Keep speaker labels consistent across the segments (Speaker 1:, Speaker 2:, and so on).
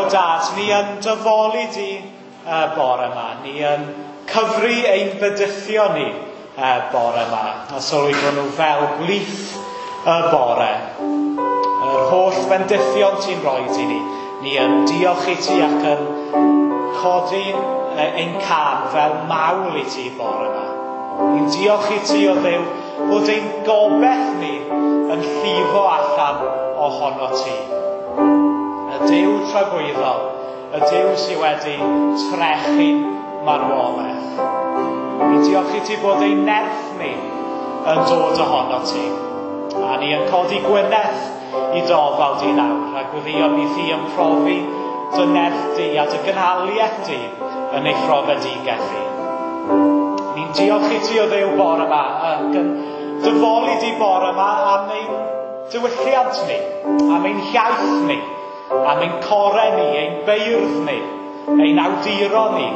Speaker 1: O Dad, ni yn dy foli di bore yma. Ni yn cyfri ein bydithio ni bore yma. A sylwi bod nhw fel gwlith y bore. Yr holl fendithion ti'n rhoi i ni. Ni yn diolch i ti ac yn codi ein cân fel mawl i ti bore yma. Ni'n diolch i ti, o Dduw, bod ein gobaith ni yn llifo allan ohono ti. Y Duw tragwyddol, y Duw sydd wedi trechu marwolaeth. Ni'n diolch i ti bod ein nerth ni yn dod ohono ti. A ni yn codi gwyneth i d'ofal di nawr, a gweddio bydd hi yn profi dy nerth di a dy gynhaliaeth di yn ei phrofedigaeth hi. Ni'n diolch i ti, o Dduw, bore yma, ac yn dy foli di bore yma am ein diwylliant ni, am ein hiaith ni, am ein corau ni, ein beirdd ni, ein awduron ni,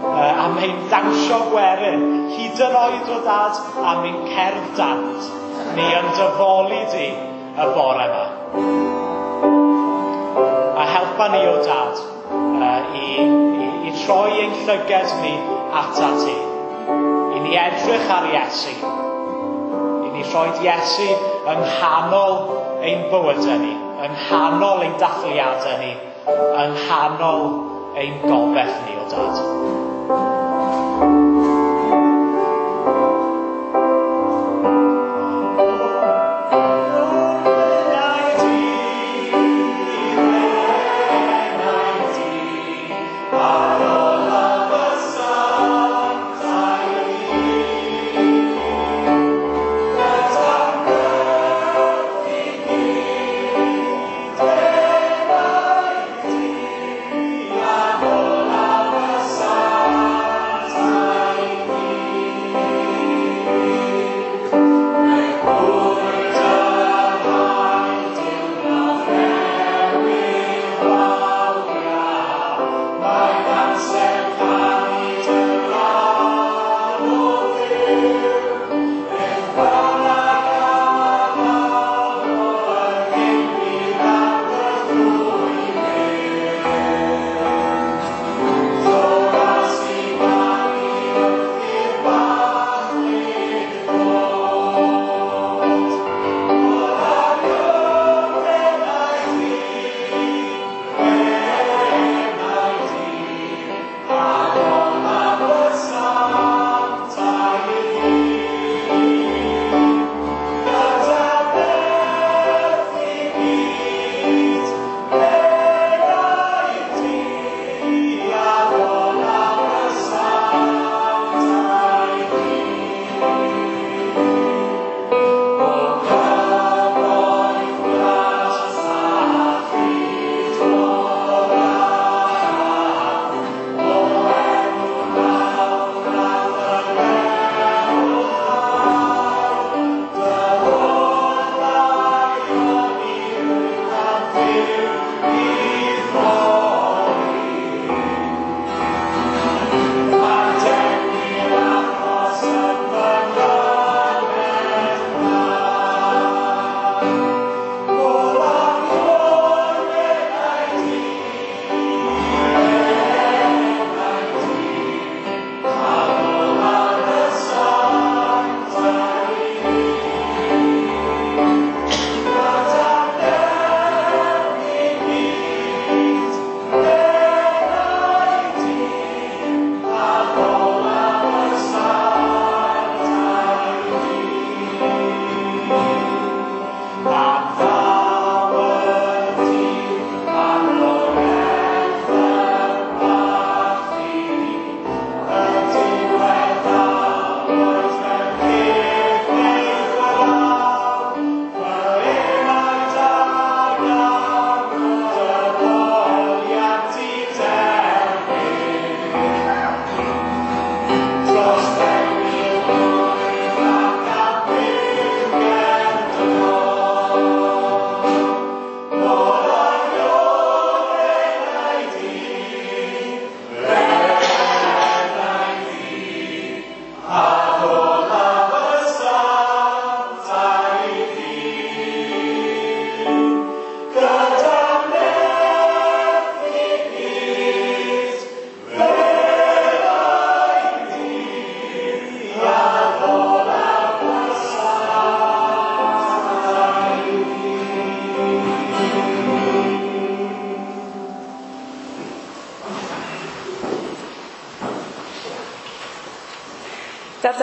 Speaker 1: am ein dawnsio gwerin, hyd yn oed, o Dad, am ein cerdd dant. Ni yn dy foli di y bore yma. A helpa ni, o Dad, i troi ein llyged ni ata ti. I ni edrych ar Iesu. I ni rhoi Iesu yng nghanol ein bywydau ni, yng nghanol ein dathliadau ni, yng nghanol ein gobaith ni, o Dad.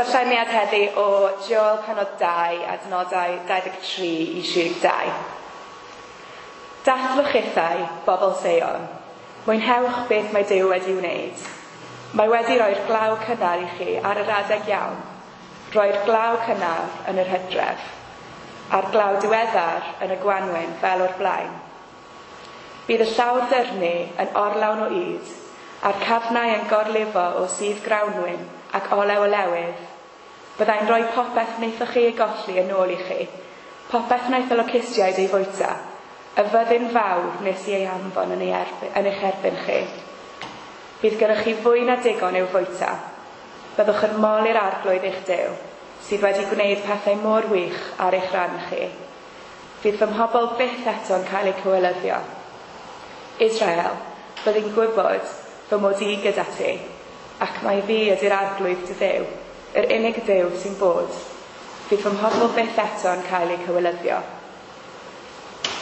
Speaker 2: darlleniad heddi o Joel penod 2 adnodau 23 i 32. Dathlwch ithau, bobl Seion. Mwynhewch beth mae Duw wedi wneud. Mae wedi rhoi'r glaw cynnar i chi ar yr adeg iawn. Roi'r glaw cynnar yn yr hydref, a'r glaw diweddar yn y gwanwyn fel o'r blaen. Bydd y llawr dyrnu yn orlawn o ŷd, a'r cafnau yn gorlifo o sudd grawnwin ac olew olewydd. Byddai'n rhoi popeth wnaethoch chi ei golli yn ôl i chi, popeth wnaeth y locustiaid ei fwyta, y fyddin fawr nes i ei anfon yn, ei erbyn, yn eich erbyn chi. Bydd gennych chi fwy na digon i'w fwyta. Byddwch yn moli'r arglwydd eich Duw, sydd wedi gwneud pethau mor wych ar eich rhan chi. Fydd fy mhobl byth eto'n cael eu cywilyddio. Israel, byddi'n gwybod fy mod i gyda ti, ac mai fi ydy'r arglwydd dy Dduw, yr unig Dduw sy'n bod. Fydd fy mhobl byth eto'n cael eu cywilyddio.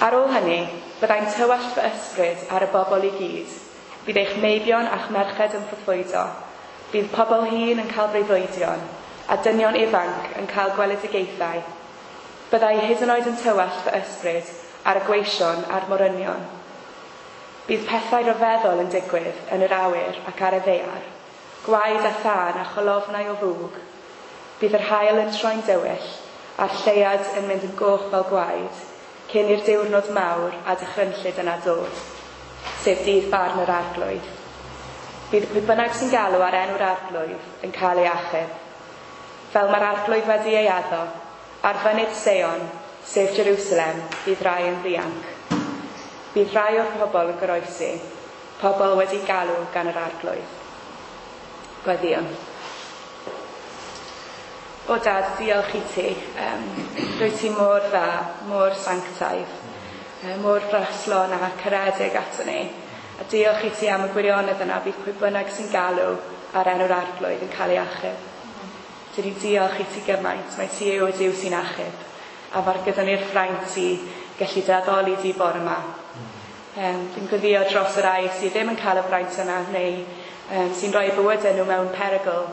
Speaker 2: Ar ôl hynny, byddai'n tywallt fy ysbryd ar y bobl i gyd. Bydd eich meibion a'ch merched yn proffwydo. Bydd pobl hŷn yn cael breuddwydion, a dynion ifanc yn cael gweledigaethau. Byddai hyd yn oed yn tywallt fy ysbryd ar y gweision a'r morynion. Bydd pethau rhyfeddol yn digwydd yn yr awyr ac ar y ddaear, gwaed a thân a cholofnau o fwg. Bydd yr haul yn troi'n dywyll, a'r lleuad yn mynd yn goch fel gwaed, cyn i'r diwrnod mawr a dychrynllyd yna dod, sef dydd barn yr arglwydd. Bydd pwy bynnag sy'n galw ar enw'r arglwydd yn cael ei achub. Fel mae'r arglwydd wedi ei addo, ar fynydd Seion, sef Jerusalem, bydd rai yn ddianc. Bydd rai o'r pobl yn goroesi, pobl wedi galw gan yr arglwydd. Gweddïwn. O Dad, diolch i ti. Rwyt ti mor dda, mor sanctaidd, mor fraslon a caredig ato ni. A diolch i ti am y gwirionedd yna, bydd pwy bynnag sy'n galw ar enw'r arglwydd yn cael ei achub. Dyn ni diolch i ti gymaint, mae ti yw y Duw sy'n achub. A mae'r gyda ni'r fraint i gallu dy addoli di bore yma. Dwi'n gweddio dros y rai sydd ddim yn cael y fraint yna, neu sy'n rhoi bywydau nhw mewn perygl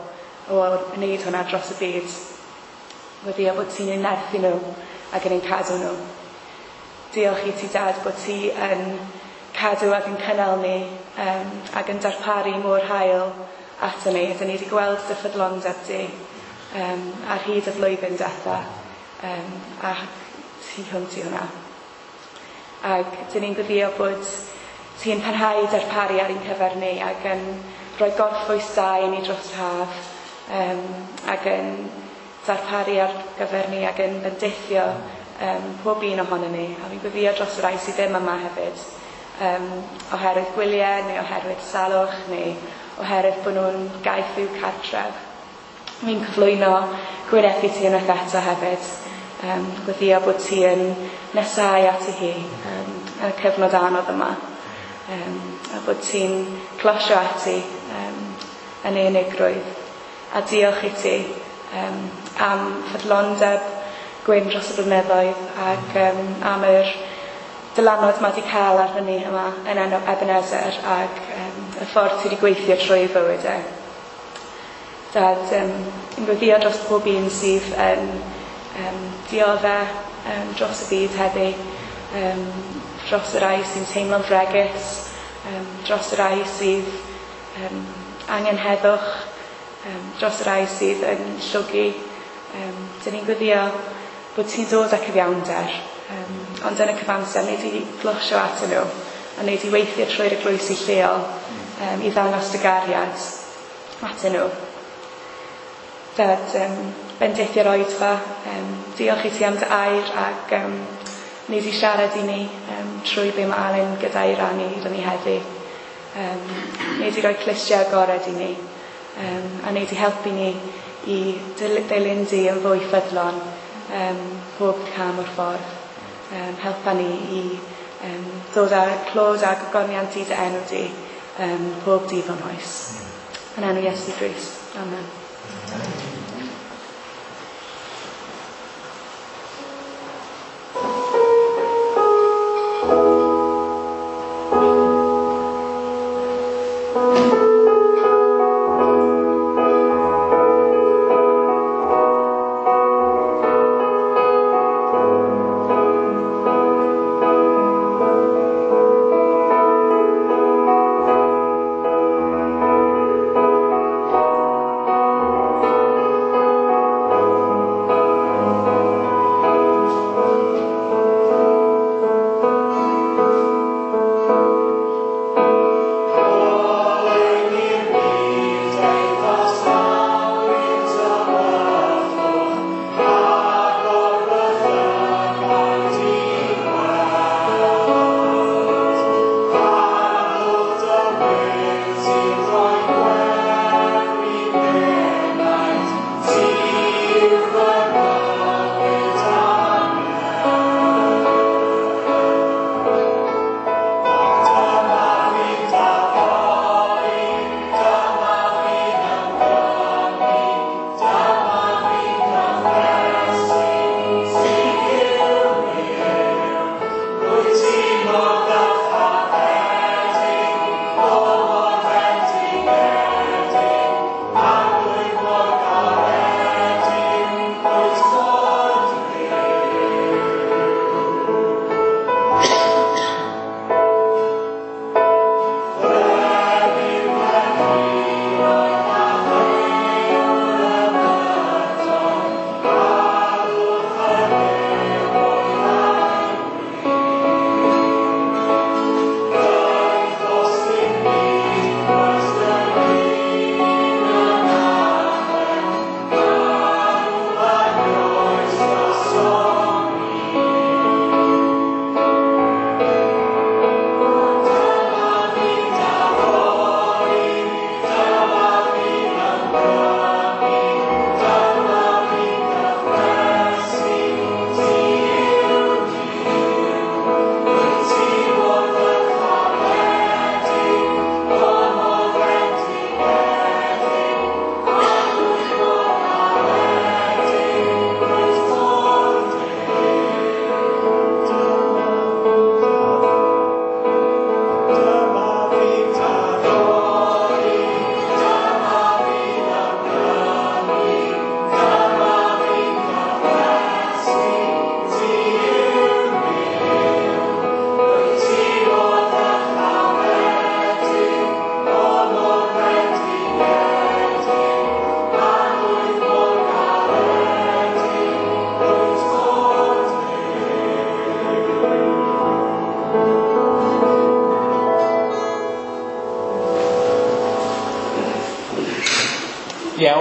Speaker 2: o wneud hwnna dros y byd. Gweddio bod ti'n eu nerthu nhw ac yn eu cadw nhw. Diolch i ti, Dad, bod ti yn cadw ac yn cynnal ni ac yn darparu mor hael ato ni. Dyn ni wedi gweld dy ffyddlondeb di ar hyd y flwyddyn diwetha, a tu hwnt i hwnna. Ac dyn ni'n gweddio bod ti'n parhau i darparu ar ein cyfer ni ac yn rhoi gorffwys da i ni dros yr haf, ac yn darparu ar gyfer ni ac yn bendithio pob un ohono ni. A fi'n gweddio dros y rai sydd ddim yma hefyd, oherwydd gwyliau neu oherwydd salwch neu oherwydd bod nhw'n gaeth i'w cartref. Fi'n cyflwyno Gwyneth i ti unwaith eto hefyd. Gweddio bod ti yn nesau ati hi yn y cyfnod anodd yma. A bod ti'n closio ati yn ei unigrwydd. A diolch i ti am ffyddlondeb Gwyn dros y blynyddoedd ac am yr dylanwad mae wedi cael arno ni yma yn Ebenezer ac y ffordd ti wedi gweithio trwy ei fywyd e. Dad, yn gweddio dros pob un sydd yn dioddef dros y byd heddi, dros y rai sy'n teimlo'n fregus, dros y rai sydd angen heddwch, dros y rai sydd yn llwgu. Dyn ni'n gweddio bod ti'n dod â cyfiawnder, ond yn y cyfamser, wneud i glosio atyn nhw, a wneud i weithio trwy'r eglwysi lleol i ddangos dy gariad atyn nhw. Dad, bendithio'r oedfa, diolch i ti am dy air ac wneud i siarad i ni trwy be mae Alun gyda'i rannu gyda ni heddi. Wneud i roi clustiau agored i ni, a wneud i helpu ni i dilyn di yn fwy ffyddlon pob cam o'r ffordd. Helpa ni i dod â clod a gogoniant i dy enw di pob dydd o'n oes. Yn enw Iesu Grist. Amen.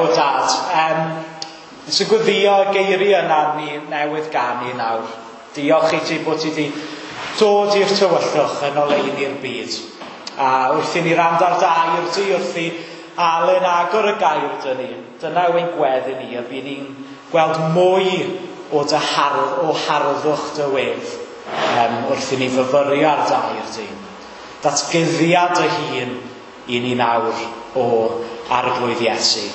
Speaker 1: O dad, nes i gweddio y geiriau yna ni newydd ganu nawr. Diolch i ti bod ti wedi dod i'r tywyllwch yn oleuni'r byd. A wrth i ni rand ar dair di, wrth i Alun agor y gair dyn ni, dyna yw ein gweddi ni, a bydd ni'n gweld mwy o dy hardd, o harddwch dy wedd wrth i ni fyfyrio ar dair di. Datguddiad dy hun i ni nawr o Arglwydd Iesu.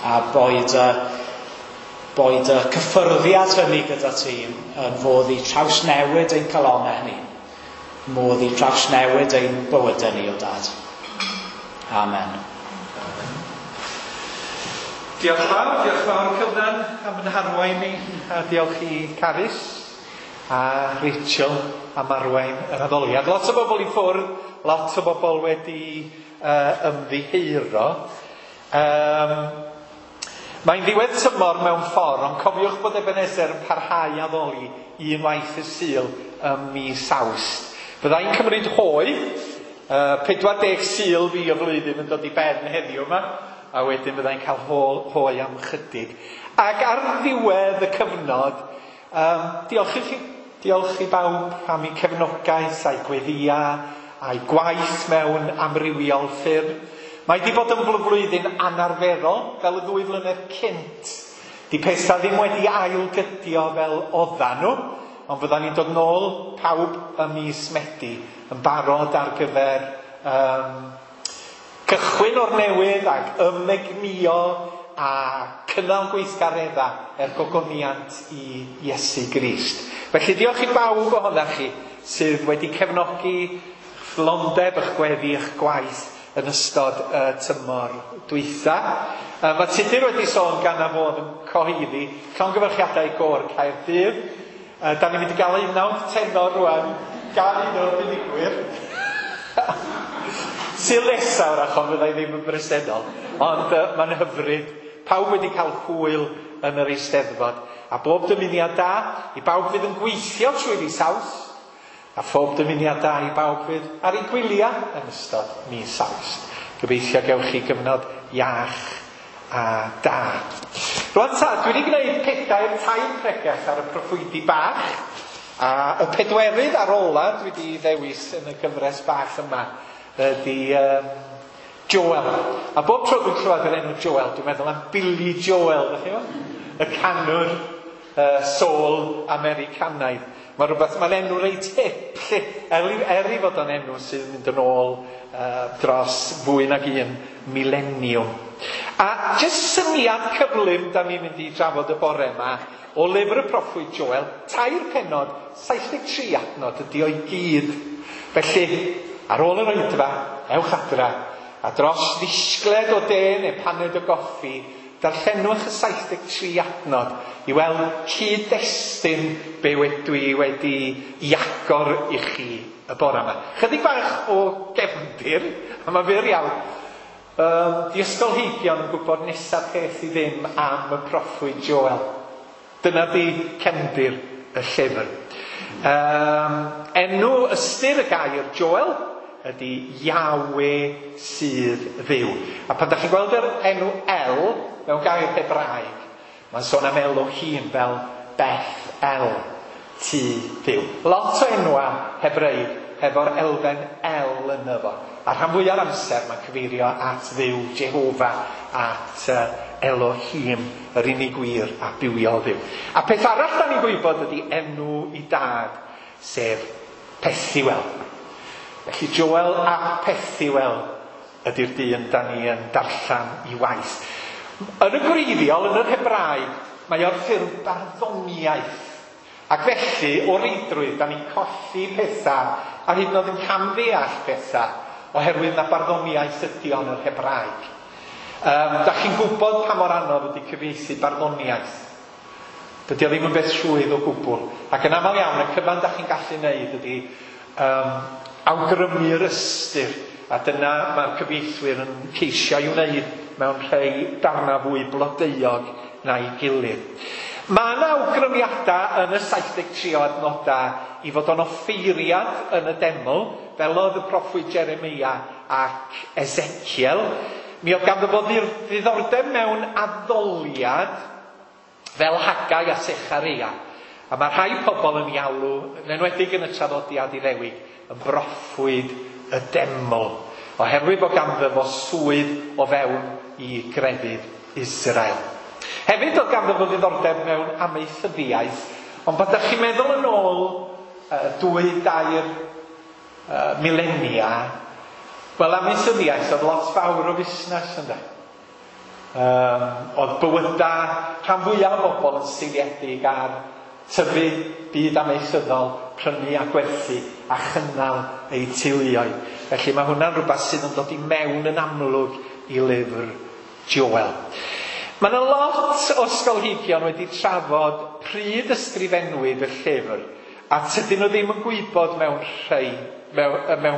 Speaker 1: A boed y cyffyrddiad hynny gyda ti yn fodd i trawsnewid ein calonnau ni. Modd i trawsnewid ein bywydau ni, o dad. Amen.
Speaker 3: Diolch fawr Cyfnan am yn harwain ni, a diolch i Carys a Rachel am arwain yr addoliad. Lot o bobl i ffwrdd, lot o bobl wedi ymddiheuro. Mae'n ddiwedd tymor mewn ffordd, ond cofiwch bod Ebenezer yn parhau addoli unwaith y Sul ym mis Awst. Fyddai'n cymryd hoe, 40 Sul fi o flwyddyn yn dod i ben heddiw yma, a wedyn fyddai'n cael hoe am chydig. Ac ar ddiwedd y cyfnod, diolch i chi, diolch i bawb am eu cefnogaeth a'i gweddia a'i gwaith mewn amrywiol ffyrdd. Mae di bod yn flwyddyn anarferol, fel y ddwy flynedd cynt. Di pethau ddim wedi ailgydio fel oeddan nhw, ond fyddan ni'n dod nôl pawb ym mis Medi yn barod ar gyfer cychwyn o'r newydd ac ymegnio a cynnal gweithgareddau er gogoniant i Iesu Grist. Felly diolch i bawb ohonoch chi sydd wedi cefnogi ffyddlondeb eich gweddi, eich gwaith yn ystod y tymor dwytha. Mae Tudur wedi sôn gan a fod yn cyhoeddi llongyfarchiadau gôr Caerdydd. Da ni'n mynd i gael unawd tenor rwan gan un o'r buddugwyr. Sul nesa wrach, ond fyddai ddim yn bresennol. Ond mae'n hyfryd. Pawb wedi cael hwyl yn yr Eisteddfod. A bob dymuniad da i bawb fydd yn gweithio trwy fis Awst. A phob dymuniad da i bawb fydd ar ei gwyliau yn ystod mis Awst. Gobeithio gewch chi gyfnod iach a da. Rwan ta, dwi wedi gwneud 4 tair pregeth ar y proffwydi bach. A y pedwerydd ar ola dwi wedi ddewis yn y gyfres bach yma ydy Joel. A bob tro dwi'n clywed yr enw Joel, dwi'n meddwl am Billy Joel, ydych chi fo? Y canwr soul Americanaidd. Mae rhywbeth, mae'n enw reit hip, lle, er i fod o'n enw sydd yn mynd yn ôl dros fwy nag un mileniwm. A jyst syniad cyflym da ni'n mynd i drafod y bore yma o lyfr y proffwyd Joel, 3 pennod, 73 adnod ydi o'i gyd. Felly, ar ôl yr oedfa, ewch adra, a dros ddisgled o de neu paned o goffi, darllenwch y 73 adnod i weld cyd-destun be dwi wedi i agor i chi y bore yma. Chydig bach o gefndir, a mae fyr iawn. Di ysgolheigion yn gwybod nesaf peth i ddim am y proffwyd Joel. Dyna di cefndir y llyfr. Enw ystyr y gair Joel ydy Yahweh sydd Dduw. A pan da chi'n gweld yr enw El mewn gair Hebraeg, mae'n sôn am Elohim fel Beth El, tŷ Dduw. Lot o enwa Hebreig hefo'r elfen El yno fo. A rhan fwyaf o'r amser mae'n cyfeirio at Dduw Jehofa, at Elohim, yr unig wir a bywiol Dduw. A peth arall da ni'n gwybod ydy enw i dad, sef Pethuel. Felly Joel a Pethuel ydy'r dyn da ni yn darllen i waith. Yn y gwreiddiol, yn yr Hebraeg, mae o'r ffurf barddoniaeth. Ac felly, o reidrwydd, da ni'n colli pethau, a hyd yn oed yn camddeall pethau, oherwydd na barddoniaeth ydy o'n yr Hebraeg. Da chi'n gwybod pa mor anodd ydy cyfieithu barddoniaeth. Dydy o ddim yn beth rhwydd o gwbl. Ac yn aml iawn, y cyfan da chi'n gallu wneud ydy awgrymu'r ystyr, a dyna mae'r cyfieithwyr yn ceisio i wneud mewn rhai darnau fwy blodeuog na'i gilydd. Mae yna awgrymiadau yn y 73 o adnodau i fod o'n offeiriad yn y deml, fel oedd y proffwyd Jeremia ac Ezekiel. Mi oedd ganddo fo ddiddordeb mewn addoliad fel Haggai a Sechareia. A mae rhai pobl yn ei alw, yn enwedig yn y traddodiad Iddewig, yn broffwyd y deml, oherwydd bod ganddo fo swydd o fewn i grefydd Israel. Hefyd oedd ganddo fo ddiddordeb mewn amaethyddiaeth, ond pan ydych chi'n meddwl yn ôl 2-3 milenia, wel, amaethyddiaeth oedd lot fawr o fusnes, ynde? Oedd bywyda rhan fwyaf o bobl yn seiliedig ar tyfu byd amaethyddol, prynu a gwerthu a chynnal eu teuluoedd. Felly mae hwnna'n rhywbeth sydd yn dod i mewn yn amlwg i lyfr Joel. Mae yna lot o ysgolheigion wedi trafod pryd ysgrifennwyd y llyfr, a tydyn nhw ddim yn gwybod mewn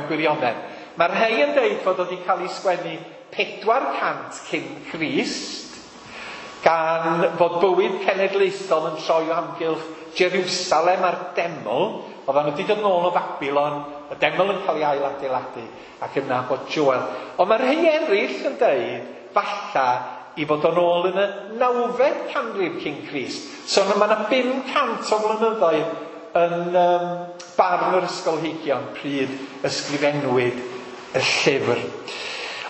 Speaker 3: gwirionedd. Mae rhai yn deud fod o wedi cael ei sgwennu 400 cyn Crist, gan fod bywyd cenedlaethol yn troi o amgylch Jerusalem a'r deml. Oedden nhw wedi dod nôl o Babilon, y deml yn cael ei ailadeiladu, ac yna bod Joel. Ond mae rhai eraill yn deud falla i fod o'n ôl yn y 9fed canrif cyn Crist. So mae yna 500 o flynyddoedd yn barn yr ysgolheigion pryd ysgrifennwyd y llyfr.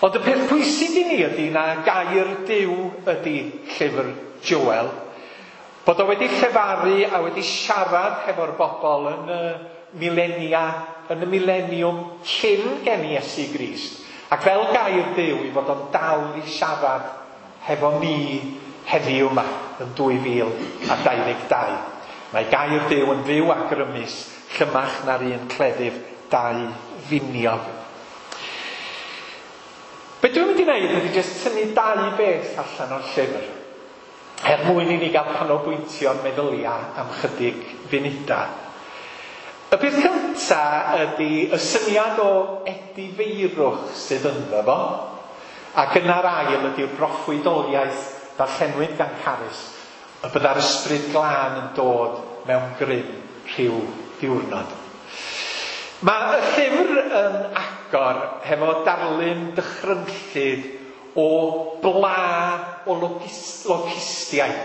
Speaker 3: Ond y peth pwysig i ni ydy na gair Duw ydy llyfr Joel, bod o wedi llefaru a wedi siarad hefo'r bobl yn y milenia, yn y mileniwm cyn geni Iesu Grist, ac fel gair Duw i fod o'n dal i siarad hefo ni heddiw yma yn 2022. Mae gair Duw yn fyw a grymus, llymach na'r un cleddyf dau finiog. Be dwi'n mynd i wneud ydy jyst tynnu dau beth allan o'r llyfr, er mwyn i ni gael canolbwyntio'n meddyliau am chydig funudau. Y peth cynta ydy y syniad o edifeirwch sydd ynddo fo, ac yna'r ail ydy'r broffwydoliaeth ddarllenwyd gan Carys, y bydda'r ysbryd glân yn dod mewn grym rhyw ddiwrnod. Mae y llyfr yn agor hefo darlun dychrynllyd o bla o locustiaid.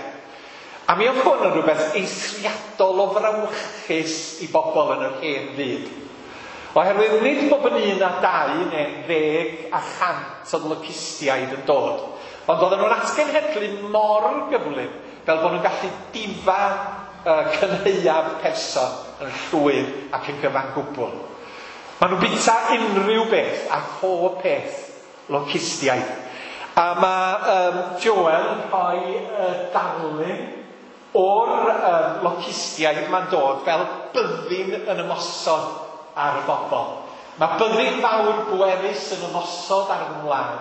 Speaker 3: A mi oedd hwn yn rhywbeth eithriadol o frawychus i bobl yn yr hen fyd. Oherwydd nid bob yn 1 a 2 neu 10 a 100 o locustiaid yn dod, ond oedden nhw'n atgenhedlu mor gyflym fel bod nhw'n gallu difa cynhaeaf person yn llwyr ac yn gyfan gwbl. Maen nhw'n bwyta unrhyw beth a phob peth locustiaid. A mae Joel yn rhoi darlun o'r locustiaid ma'n dod fel byddin yn ymosod ar y bobl. Mae byddin fawr bwerus yn ymosod ar y wlad.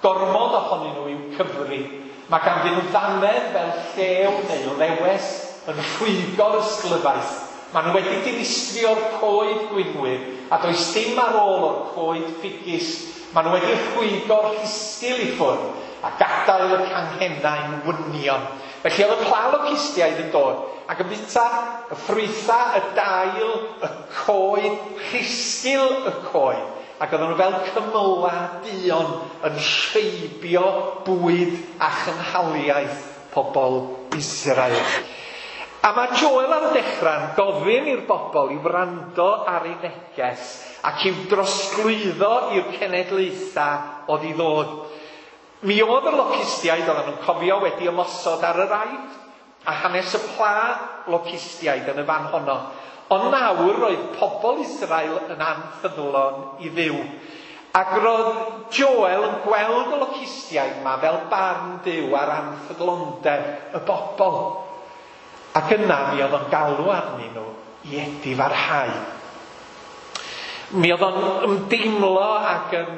Speaker 3: Gormod ohonyn nhw i'w cyfri. Mae ganddyn nhw ddannedd fel llew neu lewes yn rhwygo'r ysglyfaeth. Maen nhw wedi dinistrio'r coed gwinwyr, a does dim ar ôl o'r coed ffigys. Maen nhw wedi rhwygo'r rhisgl i ffwrdd a gadael y canghennau'n wynion. Felly oedd y pla locustiaid yn dod ac yn bwyta y ffrwythau, y dail, y coed, rhisgl y coed. Ac oedden nhw fel cymylau duon yn rheibio bwyd a chynhaliaeth pobl Israel. A mae Joel ar y dechrau'n gofyn i'r bobl i wrando ar ei neges ac i'w drosglwyddo i'r cenedlaethau oedd i ddod. Mi oedd y locustiaid, oedden nhw'n cofio, wedi ymosod ar yr Aifft a hanes y pla locustiaid yn y fan honno. Ond nawr roedd pobl Israel yn anffyddlon i Dduw. Ac roedd Joel yn gweld y locustiaid yma fel barn Duw ar anffyddlondeb y bobl. Ac yna mi oedd o'n galw arnyn nhw i edifarhau. Mi oedd o'n ymdeimlo ac yn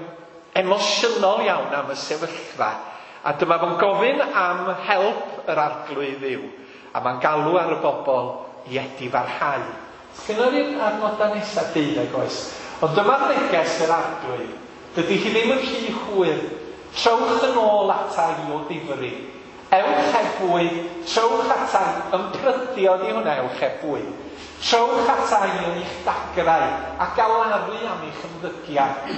Speaker 3: emosiynol iawn am y sefyllfa. A dyma fo'n gofyn am help yr Arglwydd Dduw. A mae'n galw ar y bobl i edifarhau. Sgynnon ni'r adnodau nesaf 12 oes. Ond dyma'r neges yr Arglwydd. Dydy hi ddim yn rhy hwyr. Trowch yn ôl ata i o ddifri. Ewch heb fwyd, trowch atai, ymprydio di hwnna, ewch heb fwyd. Trowch atai yn eich dagrau a galaru am eich ymddygiad.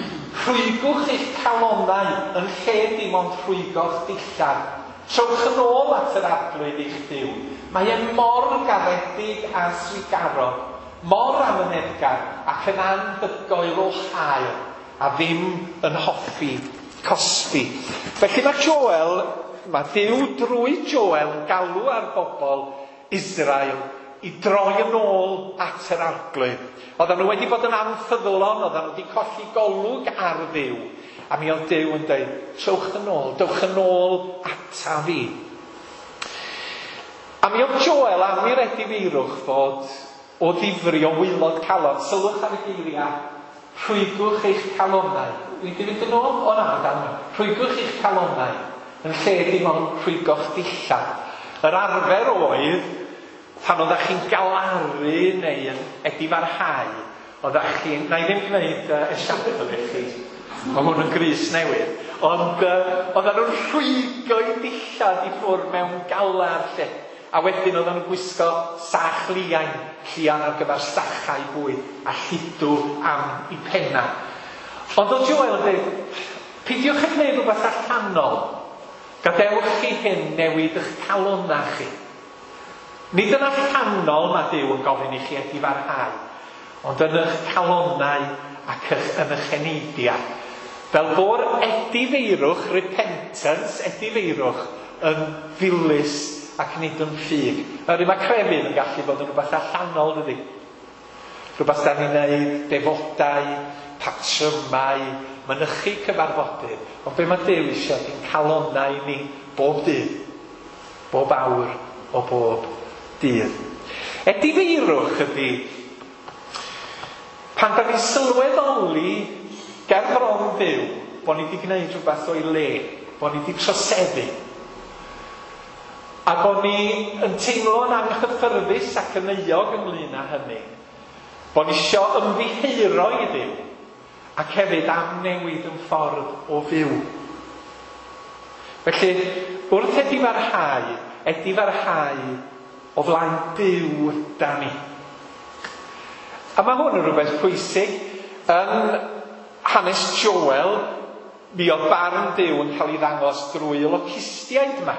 Speaker 3: Rhwygwch eich calonnau yn lle dim ond rhwygo'ch dillad. Trowch yn ôl at yr Arglwydd eich Duw. Mae e mor garedig a thrugarog, mor amyneddgar ac yn anhygoel o hael, a ddim yn hoffi cosbi. Felly mae Joel, mae Duw drwy Joel yn galw ar bobl Israel i droi yn ôl at yr Arglwydd. Oedden nhw wedi bod yn anffyddlon, oedden nhw wedi colli golwg ar Dduw. A mi oedd Duw yn dweud, trowch yn ôl, dewch yn ôl ata fi. A mi oedd Joel am i'r edifeirwch fod o ddifri o waelod calon. Sylwch ar y geiriau, rhwygwch eich calonnau. Wi wedi fynd yn ôl? O na, mae dal yma. Rhwygwch eich calonnau yn lle dim ond rhwygo'ch dillad. Yr arfer oedd, pan oeddech chi'n galaru neu yn edifarhau, oeddech chi'n... Na i ddim gwneud esiampl i chi, mae hwn yn grys newydd. Ond oedden nhw'n rhwygo'u dillad i ffwrdd mewn galar lle. A wedyn oedden nhw'n gwisgo sach liain, llian ar gyfer sachau bwyd, a lludw am eu penna. Ond oedd Joel yn dweud, peidiwch â gwneud rhywbeth allanol. Gadewch chi hyn newid eich calonnau chi. Nid yn allanol mae Duw yn gofyn i chi edifarhau, ond yn eich calonnau ac yn eich eneidiau. Fel bo'r edifeirwch, repentance, edifeirwch, yn ddilys ac nid yn ffug. Oherwydd mae crefydd yn gallu bod yn rhywbeth allanol, dydy? Rhywbeth da ni'n neud, defodau, patrymau, mynychu cyfarfodydd. Ond be mae Duw eisiau ydy'n calonnau ni bob dydd, bob awr o bob dydd. Edifeirwch ydy pan da ni'n sylweddoli ger bron Duw bod ni wedi gwneud rhywbeth o'i le, bod ni wedi troseddu. A bod ni yn teimlo'n anghyffyrddus ac yn euog ynglyn â hynny. Bod ni isio ymddiheuro i Dduw ac hefyd am newid yn ffordd o fyw. Felly, wrth edifarhau, edifarhau o flaen Duw da ni. A mae hwn yn rhywbeth pwysig. Yn hanes Joel, mi oedd barn Duw yn cael ei ddangos drwy y locustiaid yma.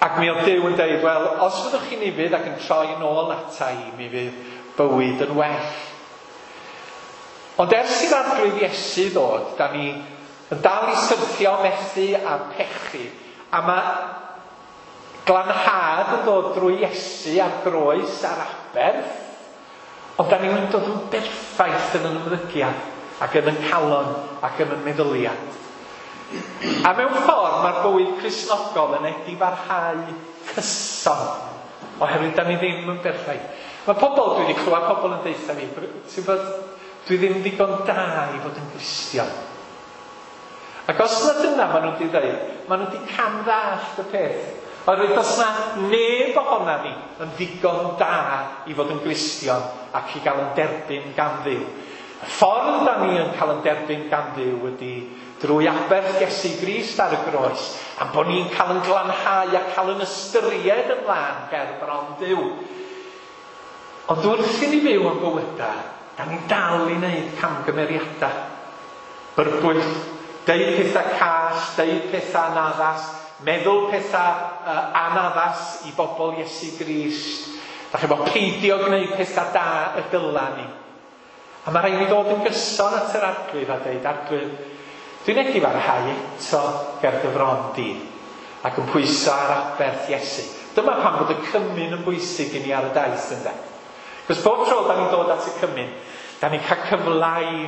Speaker 3: Ac mi oedd Duw yn dweud, wel, os fyddwch chi'n ufudd ac yn troi yn ôl ata i, mi fydd bywyd yn well. Ond ers i'r Arglwydd Iesu ddod, da ni yn dal i syrthio, methu a pechu. A mae glanhad yn dod drwy Iesu a'r groes a'r aberth, ond da ni'n dod yn berffaith yn yn ymddygiad ac yn yn calon ac yn yn meddyliad. A mewn ffordd mae'r bywyd Cristnogol yn edifarhau cyson, oherwydd da ni ddim yn berffaith. Mae pobl, dwi wedi clywed pobl yn deutha fi, ti'n bod, dwi ddim ddigon da i fod yn Gristion. Ac os na dyna maen nhw wedi dweud, maen nhw wedi camddallt y peth. Oherwydd does na neb ohona ni yn ddigon da i fod yn Gristion ac i gael yn derbyn gan Dduw. Y ffordd da ni yn cael yn derbyn gan Dduw ydy drwy aberth Iesu Grist ar y groes, am bod ni'n cael yn glanhau a cael yn ystyried yn lân ger bron Duw. Ond wrth i ni fyw yn bywydau, da ni'n dal i wneud camgymeriadau. Byrbwyll, deud pethau cas, deud pethau anaddas, meddwl pethau anaddas i bobl Iesu Grist. Da chi'n bod peidio gwneud pethau da y dyla ni. A mae rhaid ni ddod yn gyson at yr Arglwydd a deud, Arglwydd, dwi'n edifarhau eto ger dy fron di, ac yn pwyso ar aberth Iesu. Dyma pam bod y cymun yn bwysig i ni ar y daith, ynde? Cos bob tro da ni'n dod at y cymun, da ni'n cael cyfle i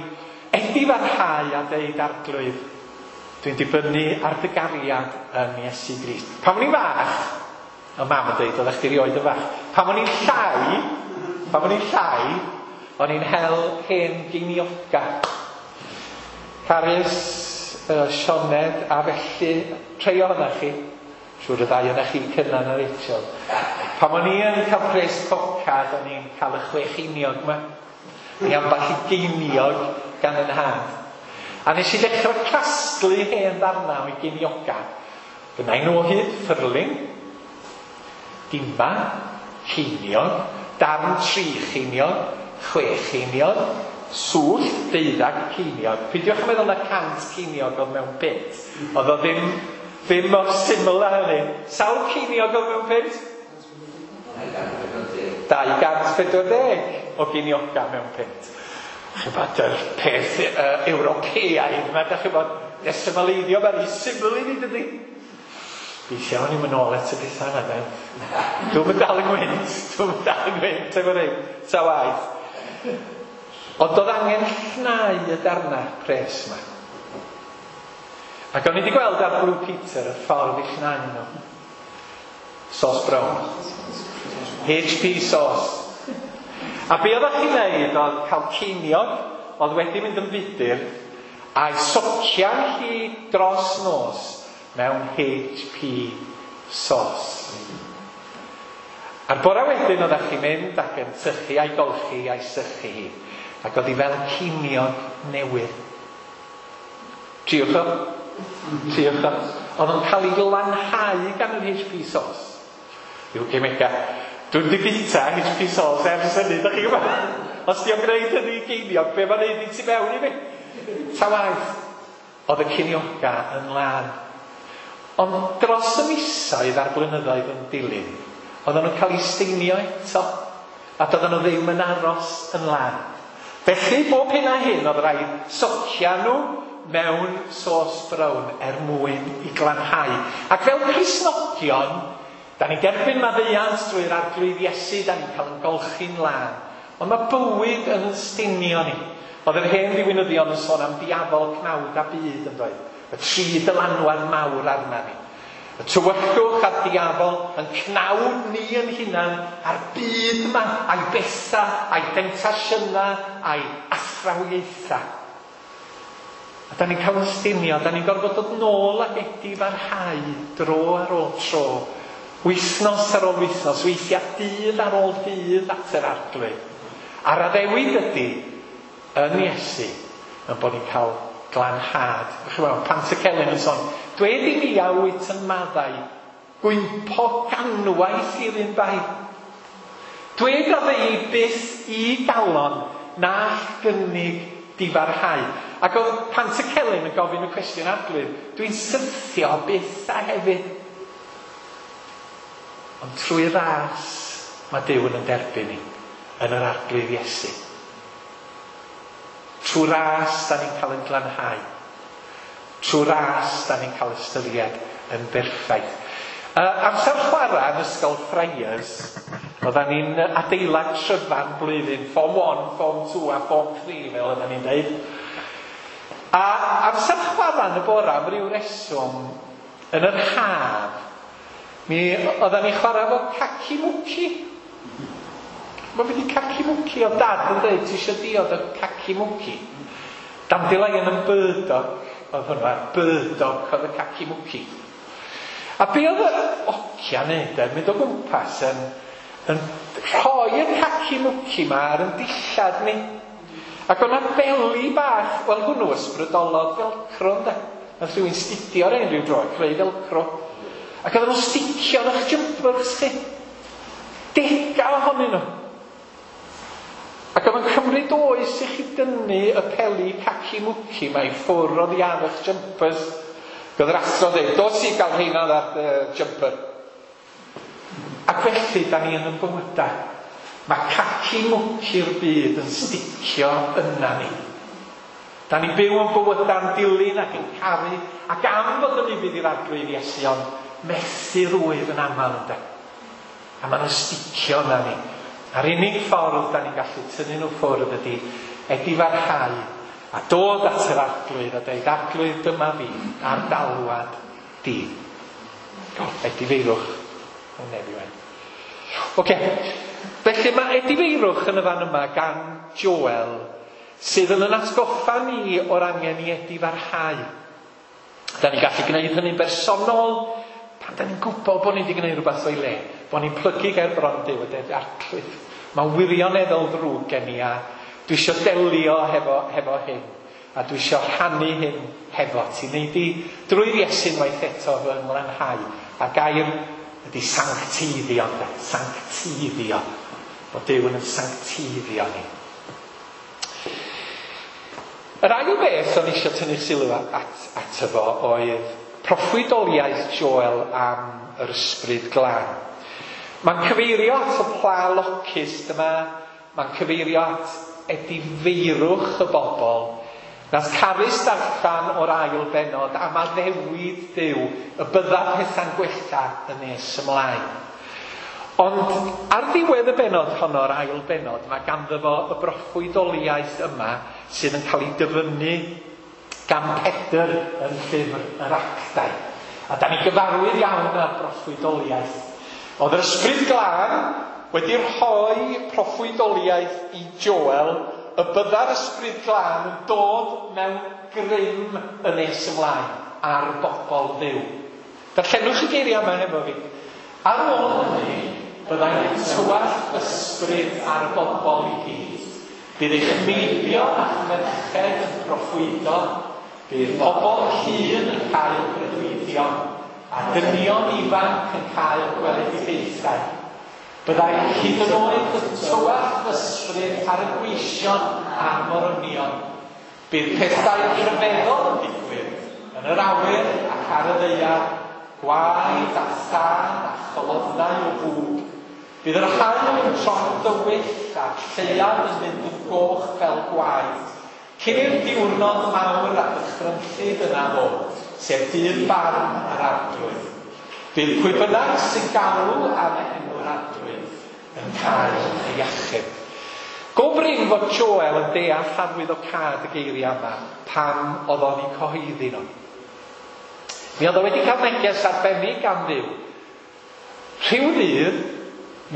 Speaker 3: edifarhau a deud, Arglwydd, dwi'n dibynnu ar dy gariad yn Iesu Grist. Pan o'n i'n fach, y mam yn deud, oeddech chdi rioed yn fach. Pan o'n i'n llai, o'n i'n hel hen geinioga. Carys, Sioned, a felly, rhai ohonoch chi, siŵr y ddau ohonoch chi cynnar na Rachel. Pan o'n i yn cael pres pocad, o'n i'n cael y 6 geiniog yma. Ni ambell i geiniog gan yn nhad. A nes i ddechrau casglu hen ddarnau o'i geinioga. Gynna i nhw o hyd, ffyrling, dima, ceiniog, darn 3 cheiniog, 6 cheiniog, swllt, 12 ceiniog. Peidiwch yn meddwl na 100 ceiniog oedd mewn punt. Oedd o ddim mor syml â hynny. Sawl ceiniog oedd mewn punt? 240 o geinioga mewn punt. Ch'bod, yr peth Ewropeaidd yma, dach chi'n bod, desimaleiddio, mae'n rhy syml i ni, dydy? Weithiau o'n i'n mynd nôl at y pethau yna, de. Dwi'm yn dal yng ngwynt, dwi'm yn dal yng ngwynt efo rhein, ta waeth. Ond oedd angen llnau y darnau pres yma. Ac o'n i wedi gweld ar Blue Peter y ffordd i llnau nhw. Sauce brown. HP sauce. A be oeddech chi'n neud oedd cael ceiniog oedd wedi mynd yn fudur a'i socian hi dros nos mewn HP sauce. A'r bore wedyn oeddech chi'n mynd ac yn sychu a'i golchi a'i sychu hi. Ac oedd hi fel ceiniog newydd. Triwch o. Triwch o. Oedd o'n cael ei lanhau gan yr HP sauce. Yw cemega. Dwi'n di bita HP sauce ers hynny, dach chi'n gwybod? Os di o'n gwneud hynny i geiniog, be mae'n neud i ti mewn i fi? Ta waeth, oedd y ceinioga yn lân. Ond dros y misoedd a'r blynyddoedd yn dilyn, oedden nhw'n cael eu steinio eto, a doedden nhw ddim yn aros yn lân. Felly, bob hyn a hyn, oedd rhaid socia nhw mewn sos brown er mwyn i glanhau. Ac fel Cristnogion, da ni'n derbyn maddeuant drwy'r Arglwydd Iesu, da ni'n cael yn golchi'n lân. Ond mae bywyd yn stinio ni. Oedd yr hen ddiwinyddion yn sôn am diafol, cnawd a byd yn dweud. Y tri dylanwad mawr arna ni. Y tywyllwch a'r diafol yn cnawd ni yn hunan a'r byd yma, a'i bethau, a'i demtasiynau, a'i athrawiaethau. A da ni'n cael yn stinio, da ni'n gorfod dod nôl ac edifarhau dro ar ôl tro. Wythnos ar ôl wythnos, weithiau dydd ar ôl dydd at yr Arglwydd. A'r addewid ydy, yn Iesu, yn bod ni'n cael glanhad. Ch'mod, Pantycelyn yn sôn, dwed i mi a wyt yn maddau, gwympo ganwaith i'r un bai. Dwed a ddei byth i galon na gynnig difarhau. Ac oedd Pantycelyn yn gofyn y cwestiwn Arglwydd, dwi'n syrthio byth a hefyd. Ond trwy ras mae Duw yn derbyn ni yn yr Arglwydd Iesu. Trwy ras da ni'n cael yn glanhau. Trwy ras da ni'n cael ystyried yn berffaith. Amser chwarae yn ysgol Friars, oedden ni'n adeilad tryfan blwyddyn, Form 1, Form 2 a Form 3, fel oedden ni'n dweud. A amser chwarae yn y bora, am ryw reswm, yn yr haf, mi oedden ni'n chwarae efo caci-mwci. Mae wedi caci-mwci, oedd dad yn dweud, ti eisiau diod o caci-mwci. Dandelion and burdock, oedd hwnna, burdock oedd y caci-mwci. A be oedd y ocia neud, mynd o gwmpas yn rhoi y caci-mwci ma ar yn dillad ni. Ac o'na beli bach, wel hwnnw ysbrydolodd velcro, ynde? Nath rhywun stidio ar ein rhyw dro, creu velcro. Ac oedden nhw'n sticio yn eich jumpers chi. Dega ohonyn nhw. Ac oedd yn cymryd oes i chi dynnu y peli caci-mwci ma i ffwrdd oddi ar eich jumpers. Oedd yr athro dweud, dos i gael rheina ar jumper. Ac felly, da ni yn y bywydau. Mae caci-mwci'r byd yn sticio yna ni. Da ni'n byw yn bywydau'n dilyn ac yn caru, ac am fod yn ufudd i'r Arglwydd Iesu, ond methu rwydd yn aml ynde. A maen nhw'n sticio yna ni. A'r unig ffordd da ni'n gallu tynnu nhw ffwrdd ydy edifarhau a dod at yr Arglwydd a dweud, Arglwydd, dyma fi, a'r dalwad di. O, edifeirwch. O, nefi wen. Oce, felly mae edifeirwch yn y fan yma gan Joel, sydd yn atgoffa ni o'r angen i edifarhau. Da ni'n gallu gwneud hynny'n bersonol, pan da ni'n gwybod bod ni wedi gwneud rhywbeth o'i le, bod ni'n plygu ger bron Duw a deud, Arglwydd, mae'n wirioneddol ddrwg gen i a dwi eisiau delio hefo hyn. A dwi eisiau rhannu hyn hefo ti. Nei di drwy'r Iesu unwaith eto fy nglanhau. A gair ydy sancteiddio, ynde? Sancteiddio. Bod Duw yn sancteiddio ni. Yr ail beth o'n eisiau tynnu sylw ato fo oedd proffwydoliaeth Joel am yr ysbryd glân. Mae'n cyfeirio at y pla locust yma, mae'n cyfeirio at edifeirwch y bobl. Nath Carys darllen o'r ail bennod am addewid Duw y bydda pethau'n gwella yn nes ymlaen. Ond ar ddiwedd y bennod honno, yr ail bennod, mae ganddo fo y broffwydoliaeth yma sydd yn cael ei dyfynnu gan Pedr yn llyfr yr Actau. A da ni gyfarwydd iawn â'r broffwydoliaeth. Oedd yr Ysbryd Glân wedi rhoi proffwydoliaeth i Joel y bydda'r Ysbryd Glân yn dod mewn grym yn nes ymlaen ar bobl Dduw. Darllenwch y geiriau yma hefo fi. Ar ôl hynny, byddai'n tywallt ysbryd ar y bobl i gyd. Bydd eich meibion a'ch merched yn proffwydo, bydd pobl hŷn yn cael breuddwydion, a dynion ifanc yn cael gweledigaethau. Byddai hyd yn oed yn tywallt ysbryd ar y gweision a'r morynion. Bydd pethau rhyfeddol yn digwydd yn yr awyr ac ar y ddaear, gwaed a thân a cholofnau o fwg. Bydd yr haul yn troi'n dywyll a'r lleuad yn mynd yn goch fel gwaed. Cyn i'r diwrnod mawr a dychrynllyd yna ddod, sef dydd barn yr Arglwydd. Bydd pwy bynnag sy'n galw am enw'r Arglwydd yn cael ei achub. Go brin fod Joel yn deall arwyddocâd y geiriau yma pan oedd o'n eu cyhoeddi nhw. Mi oedd o wedi cael neges arbennig gan Dduw. Rhyw ddydd,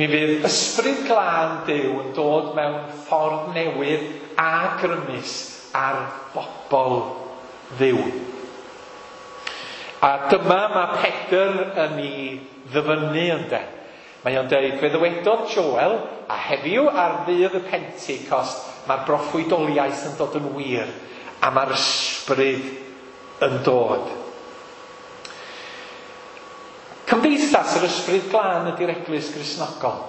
Speaker 3: mi fydd ysbryd glân Duw yn dod mewn ffordd newydd a grymus ar bobl Dduw. A dyma mae Pedr yn ei ddyfynnu ynde. Mae o'n deud, fe ddywedodd Joel, a heddiw ar ddydd y Pentecost, mae'r broffwydoliaeth yn dod yn wir, a mae'r ysbryd yn dod. Cymdeithas yr Ysbryd Glân ydy'r Eglwys Gristnogol.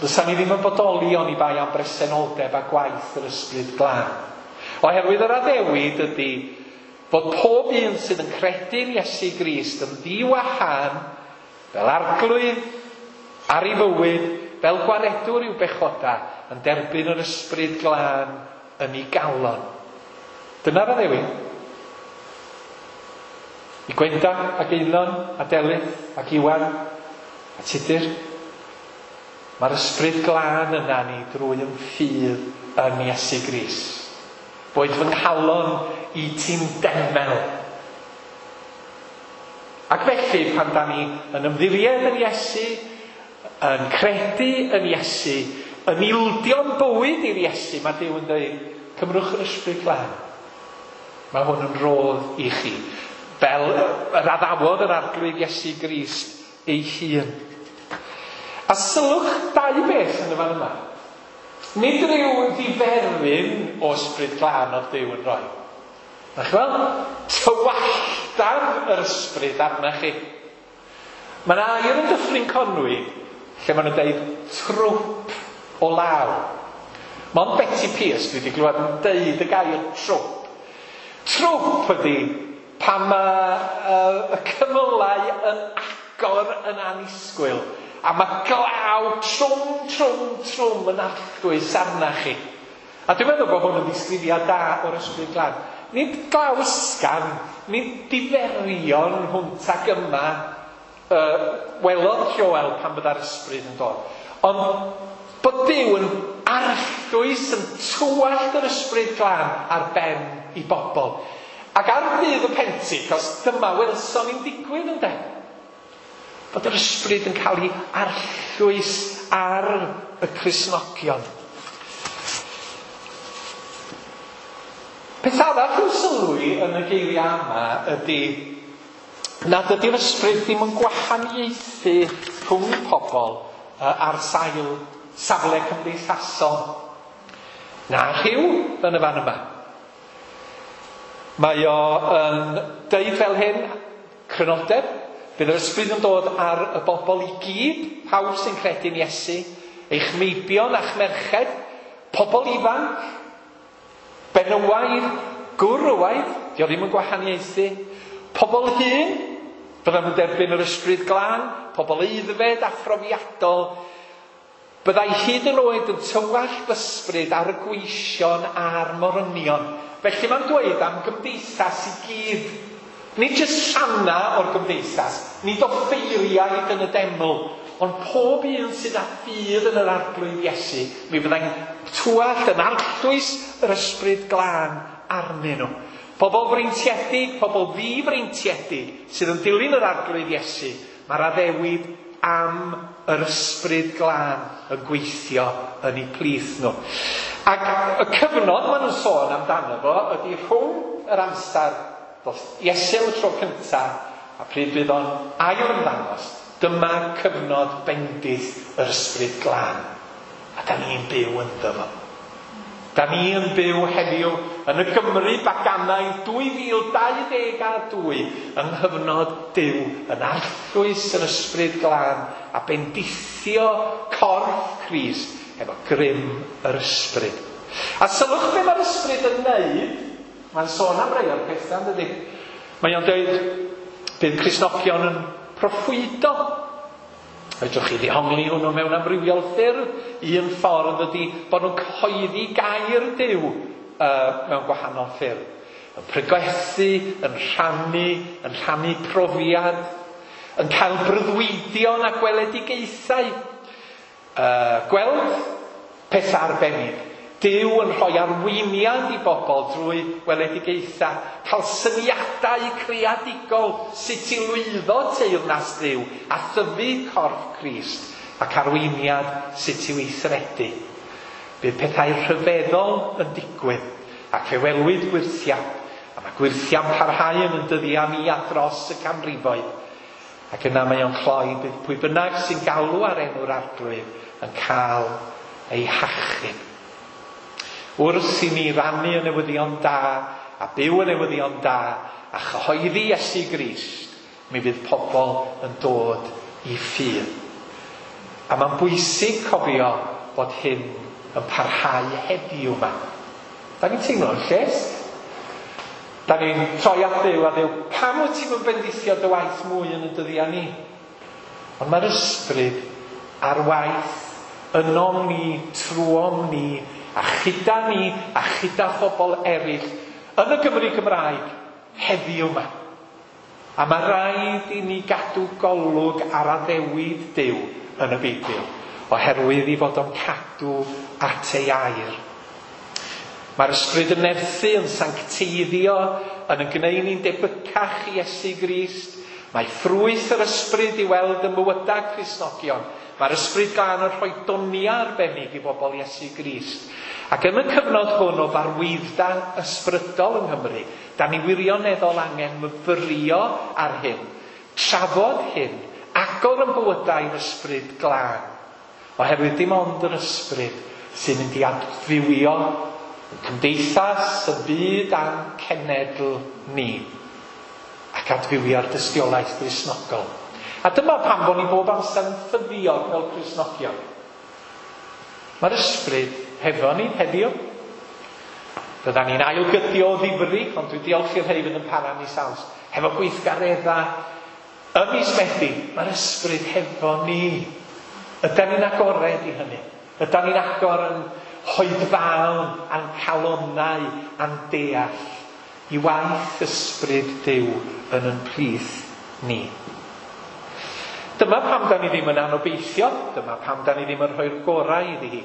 Speaker 3: Fysa ni ddim yn bodoli oni bai am bresenoldeb a gwaith yr Ysbryd Glân. Oherwydd yr addewid ydy fod pob un sydd yn credu'n Iesu Grist yn ddiwahân fel arglwydd ar ei fywyd, fel gwaredwr i'w bechoda, yn derbyn yr Ysbryd Glân yn ei galon. Dyna'r addewid. I Gwenda ac Einon a Delyth ac Iwan a Tudur. Mae'r Ysbryd Glân yna ni drwy yn ffydd yn Iesu Grist. Boed fy nghalon i ti'n demel. Ac felly, pan da ni yn ymddiried yn Iesu, yn credu yn Iesu, yn ildio'n bywyd i'r Iesu, mae Duw yn dweud, cymrwch yr Ysbryd Glân. Mae hwn yn rodd i chi. Fel yr addawodd yr Arglwydd Iesu Grist ei hun. A sylwch dau beth yn y fan yma. Nid rhyw ddiferyn o Ysbryd Glân oedd Duw yn rhoi. Na chi weld? Tywalltan yr ysbryd arna chi. Mae yna air yn Dyffryn Conwy lle maen nhw'n deud trwp o law. Mond Betty Pierce dwi wedi glywed yn deud y gair trwp. Trwp ydy pan mae y cymylau yn agor yn annisgwyl a mae glaw trwm, trwm, trwm yn arllwys arna chi. A dwi'n meddwl bod hwn yn ddisgrifiad da o'r Ysbryd Glân. Nid glaw ysgafn, nid diferion hwnt ac yma welodd Joel pan bydda'r ysbryd yn dod. Ond bod Duw yn arllwys, yn tywallt yr Ysbryd Glân ar ben i bobl. Ac ar ddydd y Pentecost, dyma welson ni'n digwydd ynde. Bod yr ysbryd yn cael ei arllwys ar y Cristnogion. Peth arall i'w sylwi yn y geiriau yma ydy nad ydy'r ysbryd ddim yn gwahaniaethu rhwng pobl ar sail safle cymdeithasol na rhyw yn y fan yma. Mae o yn deud fel hyn, crynodeb, bydd yr ysbryd yn dod ar y bobl i gyd, pawb sy'n credu'n Iesu, eich meibion a'ch merched, pobl ifanc, benywaidd, gwrywaidd, dio ddim yn gwahaniaethu, pobl hŷn, byddan nhw'n derbyn yr ysbryd glân, pobl aeddfed a phrofiadol, byddai hyd yn oed yn tywallt ysbryd ar y gweision a'r morynion. Felly mae'n dweud am gymdeithas i gyd. Nid jyst rhanna o'r gymdeithas, nid offeiriaid yn y deml, ond pob un sydd â ffydd yn yr Arglwydd Iesu, mi fyddai'n tywallt yn arllwys yr ysbryd glân arnyn nhw. Pobl freintiedig, pobl ddifreintiedig sydd yn dilyn yr Arglwydd Iesu, mae'r addewid am yr ysbryd glân yn gweithio yn eu plith nhw. Ac y cyfnod maen nhw'n sôn amdano fo ydy rhwng yr amser ddoth Iesu am y tro cyntaf a pryd bydd o'n ail ymddangos. Dyma cyfnod bendith yr ysbryd glân. A da ni'n byw ynddo fo. Da ni yn byw heddiw yn y Gymru baganaidd 2022 yng nghyfnod Duw yn arllwys yr ysbryd glân a bendithio corff Crist efo grym yr ysbryd. A sylwch be mae'r ysbryd yn neud. Mae'n sôn am rai o'r pethau, yn dydi? Mae o'n dweud bydd Cristnogion yn proffwydo. Fedrwch chi ddehongli hwnnw mewn amrywiol ffyrdd. Un ffordd ydy bod nhw'n cyhoeddi gair Duw mewn gwahanol ffyrdd. Yn pregethu, yn rhannu profiad, yn cael breuddwydion a gweledigaethau. Gweld pethau arbennig. Duw yn rhoi arweiniad i bobl drwy weledigaethau, cael syniadau creadigol sut i lwyddo teyrnas Dduw a thyfu corff Crist ac arweiniad sut i weithredu. Bydd pethau rhyfeddol yn digwydd ac fe welwyd gwyrthiau, a mae gwyrthiau'n parhau yn dyddiau ni a dros y canrifoedd. Ac yna mae o'n cloi bydd pwy bynnag sy'n galw ar enw'r Arglwydd yn cael ei hachub. Wrth i ni rannu y newyddion da a byw y newyddion da a chyhoeddi Iesu Grist, mi fydd pobl yn dod i ffydd. A mae'n bwysig cofio bod hyn yn parhau heddiw yma. Da ni'n teimlo'n lles. Da ni'n troi at Dduw a Dduw, pam wyt ti'n bendithio dy waith mwy yn y dyddiau ni? Ond mae'r ysbryd ar waith ynom ni, trwom ni, a chyda ni, a chyda phobl eraill yn y Gymru Gymraeg heddiw yma. A mae rhaid i ni gadw golwg ar addewid Duw yn y Beibl, oherwydd i fod o'n cadw at ei air. Mae'r ysbryd yn nerthu, yn sancteiddio, yn gwneud ni'n debycach i Iesu Grist. Mae ffrwyth yr ysbryd i weld yn mywydau Cristnogion. Mae'r ysbryd glân yn rhoi doniau arbennig i bobl Iesu Grist. Ac yn y cyfnod hwn o farwyddda ysbrydol yng Nghymru, da ni wirioneddol angen myfyrio ar hyn, trafod hyn, agor yn bywydau i'r ysbryd glân. Oherwydd dim ond yr ysbryd sy'n mynd i adfywio y cymdeithas, y byd a'n cenedl ni, ac adfywio'r dystiolaeth Gristnogol. A dyma pam bod ni bob amser yn ffyddiog fel Cristnogion. Mae'r ysbryd hefo ni heddiw. Byddan ni'n ailgydio o ddifri, ond dwi'n diolch i'r rhai fydd yn para mis Awst. Hefo gweithgareddau ym mis Medi, mae'r ysbryd hefo ni. Ydan ni'n agored i hynny? Ydan ni'n agor yn hoedfaon a'n calonnau a'n deall i waith ysbryd Duw yn yn plith ni? Dyma pam da ni ddim yn anobeithio, dyma pam da ni ddim yn rhoi'r gorau iddi hi,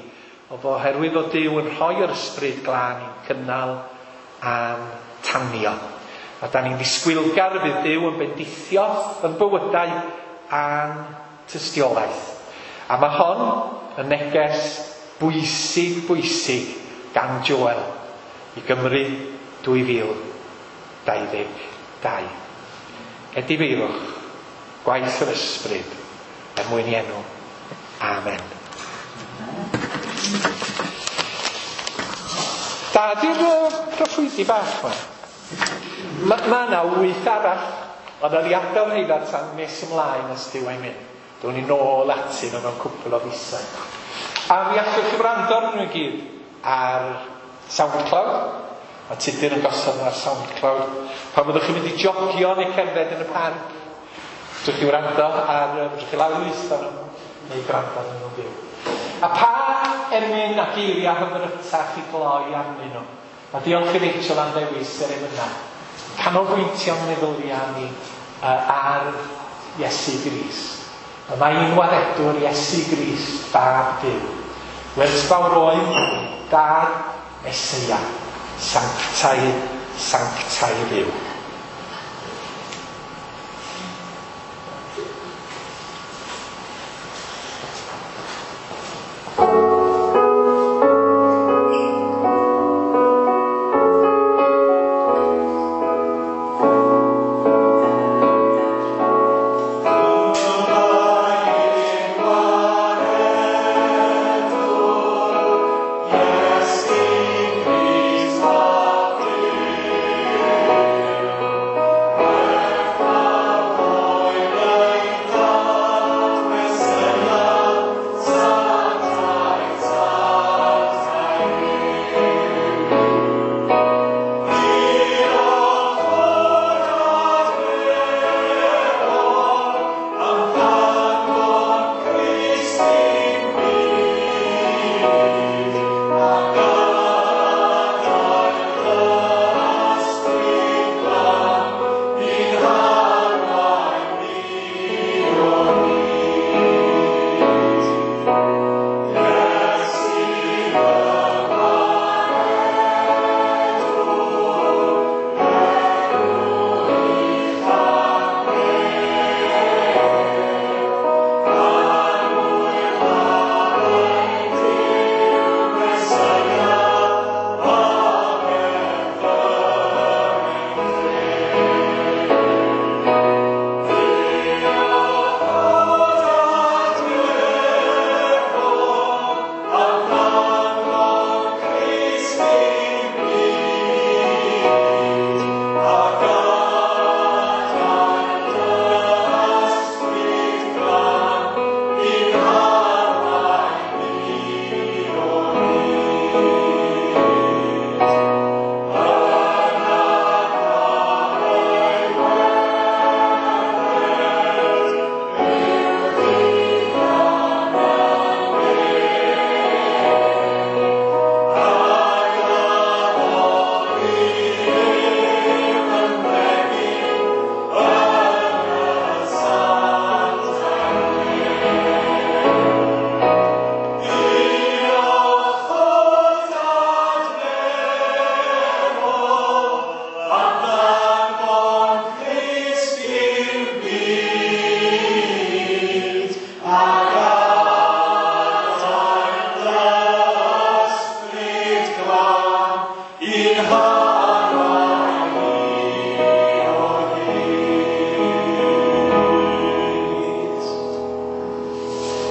Speaker 3: ond oherwydd fod Duw yn rhoi'r ysbryd glân i'n cynnal a'n tanio. A da ni'n ddisgwylgar y bydd Duw yn bendithio yn bywydau a'n tystiolaeth. A mae hon yn neges bwysig, bwysig gan Joel i Gymru 2022. Edifeirwch, gwaith yr ysbryd, er mwyn i enw. Amen. Da, di'r proffwydi bach yma. Mae yna 8 arall, ond oedd i adael rheina tan nes ymlaen os Duw a'i mynd. Down ni nôl atyn nhw mewn cwpl o fisoedd. A mi allwch chi wrando arnyn nhw i gyd ar SoundCloud. Mae Tudur yn gosod nhw ar SoundCloud. Pan fyddwch chi'n mynd i jogio neu cerdded yn y parc, fedrwch chi wrando ar, fedrwch chi lawrlwytho nhw neu gwrando arnyn nhw'n fyw. A pa emyn a geiriau hyfrytach i gloi arnyn nhw? A diolch i Rachel am ddewis yr emynau. Canolbwyntio'n meddyliau ni ar Iesu Grist. Y mae un waredwr Iesu Grist, Fab Duw. Werthfawr oedd Dad Meseia, sanctaidd, sanctaidd yw.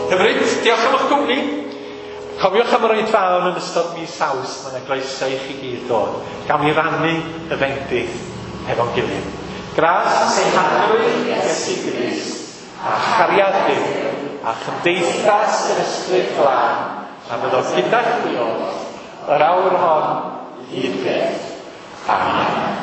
Speaker 3: Hyfryd, diolch am eich cwmni. Cofiwch am yr oedfaon yn ystod mis Awst, mae yna groeso i chi gyd ddod. Gawn ni rannu y fendith hefo'n gilydd. Gras ein Harglwydd Iesu Grist, a chariad Duw, a chymdeithas yr Ysbryd Glân, a fyddo gyda chwi oll, yr awr hon, hyd byth. Amen.